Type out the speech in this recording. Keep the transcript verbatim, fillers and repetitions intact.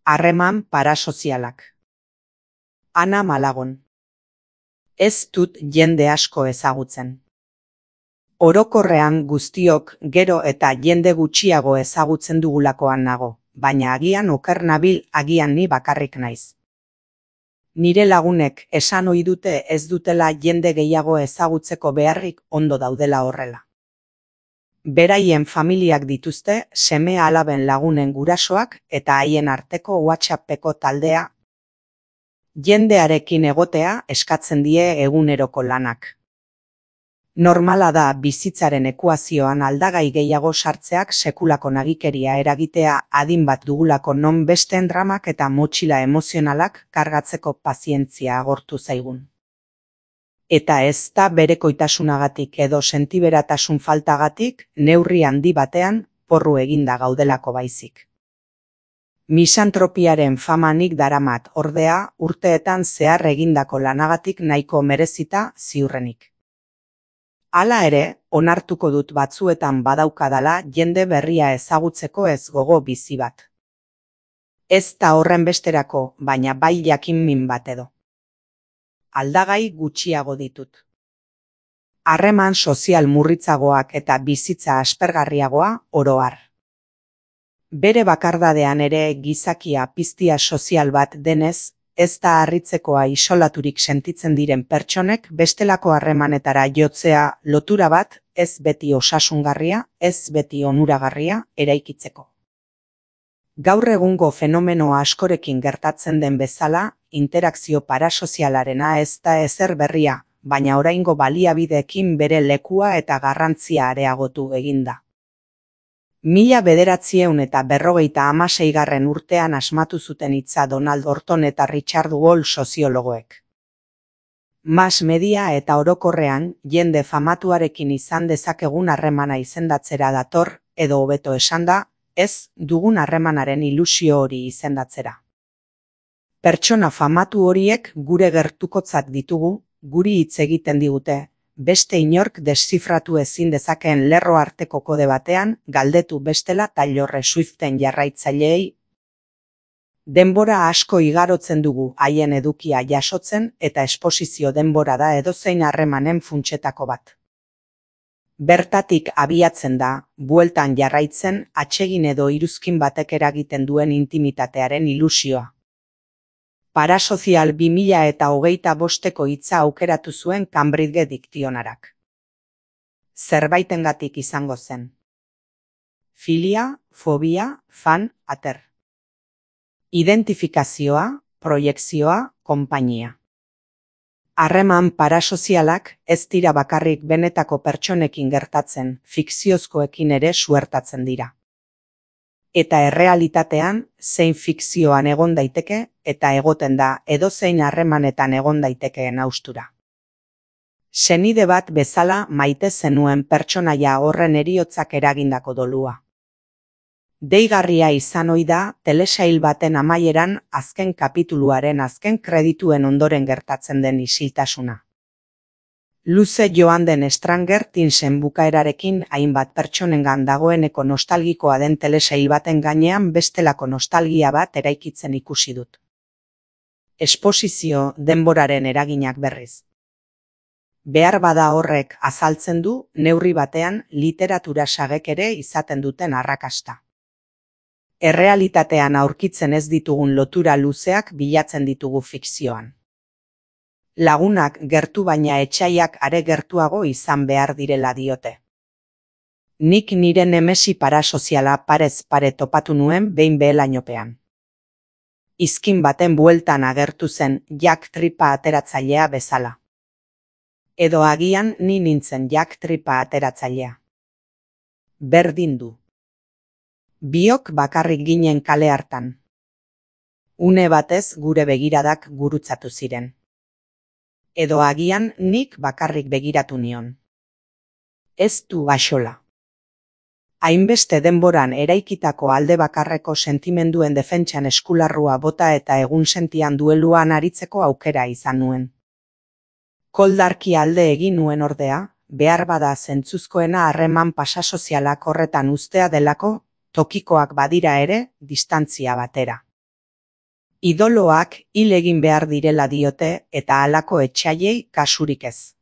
Harreman parasozialak. Ana Malagon. Ez dut jende asko ezagutzen. Orokorrean guztiok gero eta jende gutxiago ezagutzen dugulakoan nago, baina agian oker nabil, agian ni bakarrik naiz. Nire lagunek esan ohi dute ez dutela jende gehiago ezagutzeko beharrik, ondo daudela horrela. Beraien familiak dituzte, seme alaben lagunen gurasoak eta haien arteko WhatsAppeko taldea. Jendearekin egotea eskatzen die eguneroko lanak. Normala da bizitzaren ekuazioan aldagai gehiago sartzeak sekulako nagikeria eragitea, adin bat dugulako non besteen dramak eta motxila emozionalak kargatzeko pazientzia agortu zaigun. Eta ez da berekoitasunagatik edo sentiberatasun faltagatik, neurri handi batean porru eginda gaudelako baizik. Misantropiaren famanik daramat ordea urteetan zehar egindako lanagatik nahiko merezita ziurrenik. Hala ere, onartuko dut batzuetan badaukadala jende berria ezagutzeko ez gogo bizi bat. Ez da horren besterako, baina bai jakin min bat edo. Aldagai gutxiago ditut. Harreman sozial murritzagoak eta bizitza aspergarriagoa oro har. Bere bakardadean ere gizakia piztia sozial bat denez, ez da harritzekoa isolaturik sentitzen diren pertsonek bestelako harremanetara jotzea lotura bat ez beti osasungarria, ez beti onuragarria eraikitzeko. Gaur egungo fenomeno askorekin gertatzen den bezala, interakzio parasozialarena ez da ezer berria, baina oraingo baliabideekin bere lekua eta garrantzia areagotu eginda. Mila bederatziehun eta berrogeita hamaseigarren urtean asmatu zuten hitza Donald Horton eta Richard Wall soziologoek. Mass media eta orokorrean jende famatuarekin izan dezakegun harremana izendatzera dator, edo hobeto esanda, ez dugun harremanaren ilusio hori izendatzera. Pertsona famatu horiek gure gertukotzat ditugu, guri hitz egiten digute, beste inork deszifratu ezin dezakeen lerro arteko kode batean, galdetu bestela Taylor Swiften jarraitzaileei. Denbora asko igarotzen dugu haien edukia jasotzen eta esposizio denbora da edozein harremanen funtsetako bat. Bertatik abiatzen da, bueltan jarraitzen, atsegin edo iruzkin batek eragiten duen intimitatearen ilusioa. Parasozial bi mila eta hogeita bosteko hitza aukeratu zuen Cambridge Diktionarak. Zerbaitengatik izango zen. Filia, fobia, fan, ater. Identifikazioa, proiekzioa, konpainia. Harreman parasozialak ez dira bakarrik benetako pertsonekin gertatzen, fikziozkoekin ere suertatzen dira. Eta errealitatean, zein fikzioan egon daiteke, eta egoten da edozein harremanetan egon daitekeen haustura. Senide bat bezala maite zenuen pertsonaia horren heriotzak eragindako dolua. Deigarria izan ohi da telesail baten amaieran azken kapituluaren azken kredituen ondoren gertatzen den isiltasuna. Luze joan den Stranger Thingsen bukaerarekin hainbat pertsonengan dagoeneko nostalgikoa den telesail baten gainean bestelako nostalgia bat eraikitzen ikusi dut. Esposizio denboraren eraginak berriz. Behar bada horrek azaltzen du neurri batean literatura sagek ere izaten duten arrakasta. Errealitatean aurkitzen ez ditugun lotura luzeak bilatzen ditugu fikzioan. Lagunak gertu baina etsaiak are gertuago izan behar direla diote. Nik nire nemesi parasoziala parez pare topatu nuen behin behelainopean. Izkin baten bueltan agertu zen Jack Tripa ateratzailea bezala. Edo agian ni nintzen Jack Tripa ateratzailea. Berdin du. Biok bakarrik ginen kale hartan. Une batez gure begiradak gurutzatu ziren. Edo agian nik bakarrik begiratu nion. Ez du axola. Hainbeste denboran eraikitako alde bakarreko sentimenduen defentsan eskularrua bota eta egun sentian dueluan aritzeko aukera izan nuen. Koldarki alde egin nuen ordea, behar bada zentzuzkoena harreman pasasozialak horretan uztea delako, tokikoak badira ere, distantzia batera. Idoloak hil egin behar direla diote eta halako etsaiei kasurik ez.